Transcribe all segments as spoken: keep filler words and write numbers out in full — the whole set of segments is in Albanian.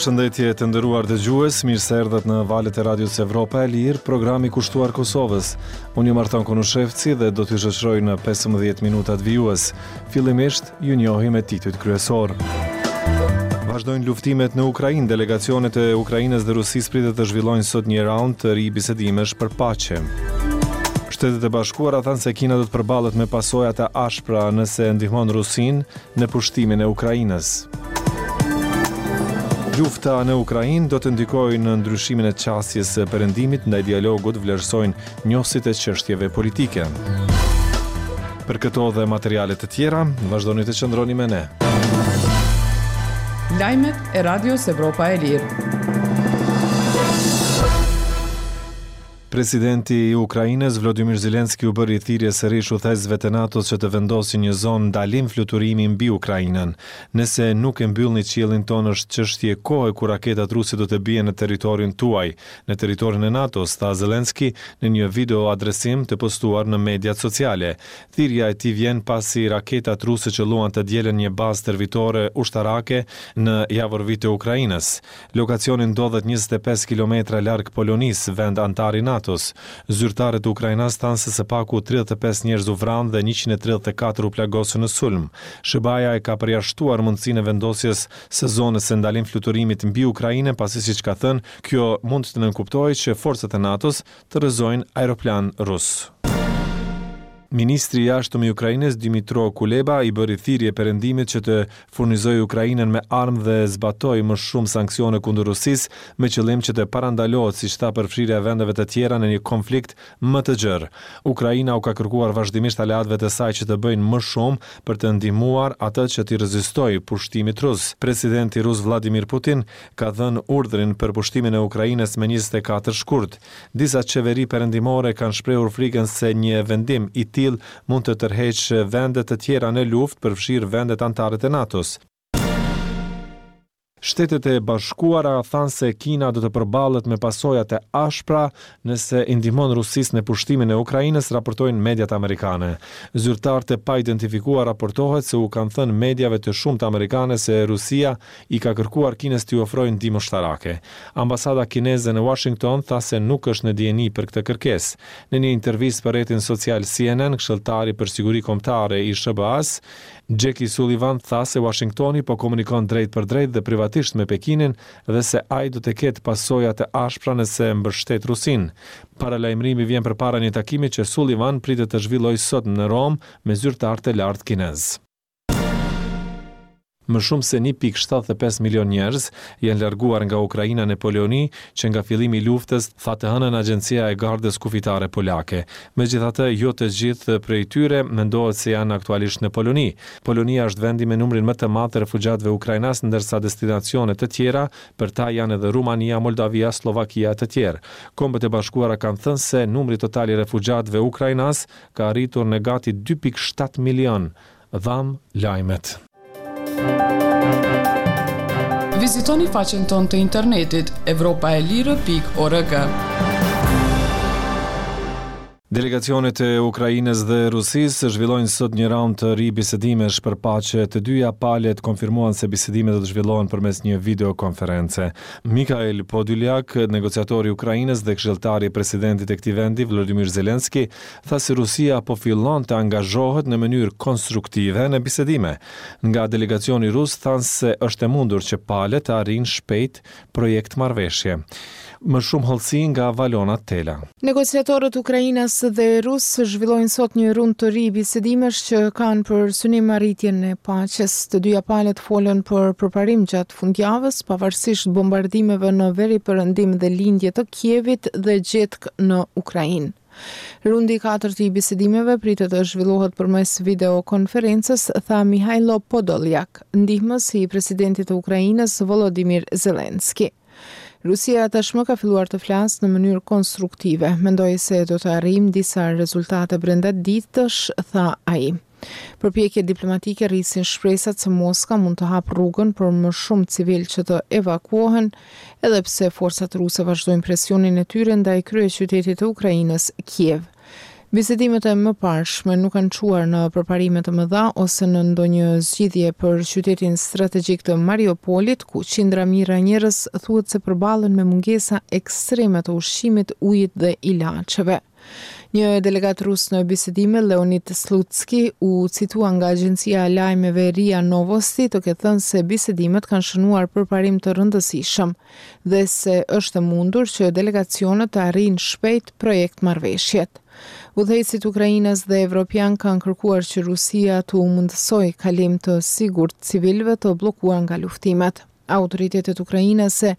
Përshëndetje të nderuar dëgjues, mirë se erdhët në valët e Radios Evropa e Lirë, programi kushtuar Kosovës. Unë jam Artan Konushevci dhe do t'ju shoqëroj në pesëmbëdhjetë minutat vijues. Fillimisht, ju njohim me titujt kryesor. Vazhdojnë luftimet në Ukrainë, delegacionet e Ukrainës dhe Rusisë pritet të zhvillojnë sot një raund të ri bisedimesh për paqe. Shtetet e Bashkuara thanë se Kina do të përballet me pasoja të ashpra nëse ndihmon Rusinë në pushtimin e Ukrainës. Lufta në Ukrainë do të ndikojë në ndryshimin e qasjes së Perëndimit ndaj dialogut, vlerësojnë njohësit e çështjeve politike. Për këto dhe materiale të tjera, vazhdoni të qëndroni me ne. Lajmet e Radios Evropa e Lirë. Presidenti i Ukrainës, Vladimir Zelenski, u bëri thirrje sërish udhëheqësve të NATO-s që të vendosin një zonë ndalim fluturimi mbi Ukrainën. Nëse nuk e mbyllni qiellin tonë, është çështje kohe kur raketat ruse do të bien në territorin tuaj, në territorin e NATO-s, tha Zelenski në një video adresim të postuar në mediat sociale. Thirrja e tij vjen pasi raketat ruse qëlluan të dielën një bazë stërvitore ushtarake në Javorvi të Ukrainës. Lokacioni ndodhet njëzet e pesë kilometra larg Polonisë, vend anëtar i NATO-s. Zyrtarët ukrainas thanë se së paku tridhjetë e pesë njerëz u vranë dhe njëqind e tridhjetë e katër u plagosën në sulm. S H B A-ja e ka përjashtuar mundësinë e vendosjes së zonës së ndalim fluturimit mbi Ukrainën, pasi siç ka thënë, kjo mund të nënkuptojë që forcat e NATO-s të rrëzojnë aeroplan rus. Ministri i Jashtëm i Ukrainës Dmytro Kuleba i bëri thirrje Perëndimit që të furnizojë Ukrainën me armë dhe zbatojë më shumë sanksione kundër Rusisë, me qëllim që të parandalohet, siç tha, përfshirja e vendeve të tjera në një konflikt më të gjerë. Ukraina u ka kërkuar vazhdimisht aleatëve të saj që të bëjnë më shumë për të ndihmuar atë që t'i rezistojë pushtimit rus. Presidenti rus Vladimir Putin ka dhënë urdhrin për pushtimin e Ukrainës me njëzet e katër shkurt. Disa qeveri perëndimore kanë shprehur frikën se një vendim i tillë mund të tërheqë vende të tjera në luftë, përfshirë vendet anëtare të NATO-s. Shtetet e Bashkuara thanë se Kina do të përballet me pasoja të ashpra nëse i ndihmon Rusisë në pushtimin e Ukrainës, raportojnë mediat amerikane. Zyrtarë të paidentifikuar raportohet se u kanë thënë mediave të shumta amerikane se Rusia i ka kërkuar Kinës t'i ofrojë ndihmë ushtarake. Ambasada kineze në Washington tha se nuk është në dijeni për këtë kërkesë. Në një intervistë për rrjetin social C N N, këshilltari për siguri kombëtare i S H B A-s, Jake Sullivan tha se Washingtoni po komunikon drejt për drejt dhe privatisht me Pekinin dhe se ai do të ketë pasoja të ashpra nëse mbështet Rusinë. Paralajmërimi vjen përpara një takimi që Sullivan pritet të zhvillojë sot në Romë me zyrtarë të lartë kinez. Më shumë se një pikë shtatëdhjetë e pesë milion njerëz janë larguar nga Ukraina në Poloni që nga fillimi i luftës, tha të hënën Agjencia e Gardës Kufitare Polake. Megjithatë, jo të gjithë prej tyre mendohet se janë aktualisht në Poloni. Polonia është vendi me numrin më të madh të refugjatëve ukrainas, ndërsa destinacione të tjera për ta janë edhe Rumania, Moldavia, Sllovakia e të tjerë. Kombet e Bashkuara kanë thënë se numri total i refugjatëve ukrainas ka arritur në gati dy pikë shtatë milion. Dham lajmet. Vizitoni faqen tonë të internetit evropa e lirë pikë org. Delegacionet e Ukrainës dhe Rusisë zhvillojnë sot një raund të ri bisedimesh për paqe. Të dyja palët konfirmuan se bisedimet do të zhvillohen përmes një videokonference. Mikhail Podolyak, negociatori i Ukrainës dhe këshilltari i presidentit të këtij vendi, Volodymyr Zelensky, tha se Rusia po fillon të angazhohet në mënyrë konstruktive në bisedime. Nga delegacioni rus thanë se është e mundur që palët të arrijnë shpejt projekt marrëveshje. Më shumë hollësi nga Valona Tela. Negociatorët ukrainas dhe rus zhvillojnë sot një rund të ri bisedimesh që kanë për synim arritjen e paqes. Të dyja palët folën për përparim gjatë fundjavës, pavarësisht bombardimeve në veri perëndim dhe lindje të Kievit dhe gjetkë në Ukrainë. Rundi i katërt i bisedimeve pritet të zhvillohet përmes videokonferencës, tha Mihailo Podolyak, ndihmës i presidentit të Ukrainës Volodymyr Zelensky. Rusia tashmë ka filluar të flasë në mënyrë konstruktive. Mendoj se do të arrijmë disa rezultate brenda ditësh, tha ai. Përpjekjet diplomatike rrisin shpresat se Moska mund të hapë rrugën për më shumë civil që të evakuohen, edhe pse forcat ruse vazhdojnë presionin e tyre ndaj kryeqytetit të Ukrainës, Kiev. Bisedimet e mëparshme nuk kanë çuar në përparime të mëdha ose në ndonjë zgjidhje për qytetin strategjik të Mariupolit, ku qindra mijëra njerëz thuhet se përballen me mungesa ekstreme të ushqimit, ujit dhe ilaçeve. Një delegat rus në bisedime, Leonid Slutsky, u citua nga agjencia e lajmeve RIA Novosti të ketë thënë se bisedimet kanë shënuar përparim të rëndësishëm dhe se është e mundur që delegacionet të arrijnë shpejt projekt marrëveshjet. Udhëheqësit ukrainas dhe evropian kanë kërkuar që Rusia t'u mundësojë kalim të sigurt civilëve të bllokuar nga luftimet. Autoritetet ukrainase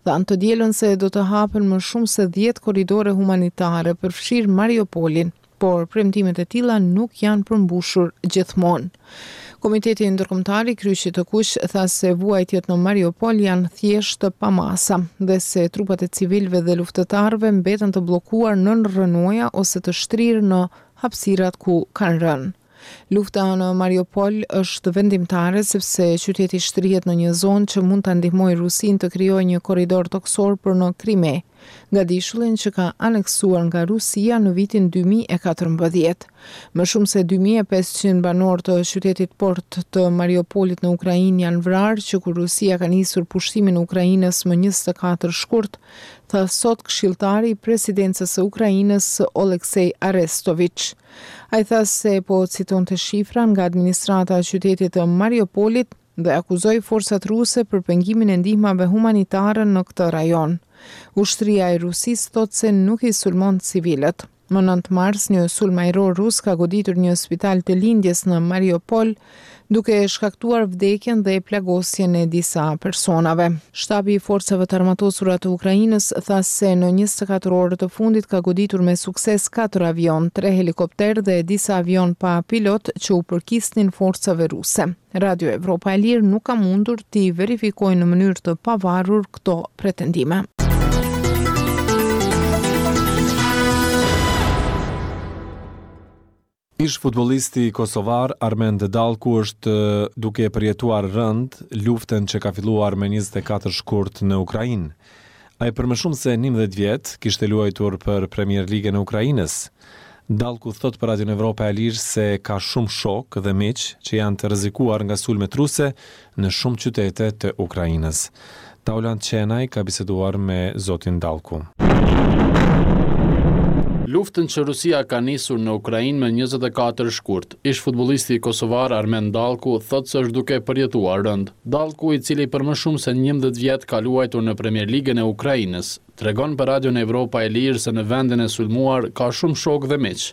thanë të dielën se do të hapen më shumë se dhjetë korridore humanitare, përfshirë Mariupolin, por premtimet e tilla nuk janë përmbushur gjithmonë. Komiteti Ndërkombëtar i Kryqit të Kuq tha se vuajtjet në Mariupol janë thjesht të pamasa dhe se trupat e civilëve dhe luftëtarëve mbeten të bllokuar nën rrënoja ose të shtrirë në hapësirat ku kanë rënë. Lufta në Mariupol është vendimtare sepse qyteti shtrihet në një zonë që mund ta ndihmojë Rusinë të krijojë një korridor tokësor për në Krime, gadishullin që ka aneksuar nga Rusia në vitin dy mijë e katërmbëdhjetë. Më shumë se dy mijë e pesëqind banorë të qytetit port të Mariupolit në Ukrainë janë vrarë që kur Rusia ka nisur pushtimin e Ukrainës më njëzet e katër shkurt, tha sot këshilltari i presidencës së Ukrainës Oleksiy Arestovich. Ai tha se po citonte shifra nga administrata e qytetit të Mariupolit dhe akuzoi forcat ruse për pengimin e ndihmave humanitare në këtë rajon. Ushtria e Rusisë thotë se nuk i sulmon civilët. Më nëntë mars, një sulm ajror rus ka goditur një spital të lindjes në Mariupol, duke shkaktuar vdekjen dhe plagosjen e disa personave. Shtabi i Forcave të Armatosura të Ukrainës tha se në njëzet e katër orë të fundit ka goditur me sukses katër avion, tre helikopter dhe disa avion pa pilot që u përkisnin forcave ruse. Radio Evropa e Lirë nuk ka mundur t'i verifikojë në mënyrë të pavarur këto pretendime. Ish futbollisti kosovar Armend Dallku është duke përjetuar rënd luftën që ka filluar me njëzet e katër shkurt në Ukrainë. Ai për më shumë se njëmbëdhjetë vjet kishte luajtur për Premier Ligën e Ukrainës. Dallku thot për Radion Evropa e Lirë se ka shumë shok dhe miq që janë të rrezikuar nga sulmet ruse në shumë qytete të Ukrainës. Taulant Qenaj ka biseduar me zotin Dallku. Luftën që Rusia ka nisur në Ukrainë më njëzet e katër shkurt, ish futbollisti kosovar Armend Dallku thotë se është duke përjetuar rënd. Dallku, i cili për më shumë se njëmbëdhjetë vjet ka luajtur në Premier Ligën e Ukrainës, tregon për Radion Evropa e Lirë se në vendin e sulmuar ka shumë shokë dhe miq,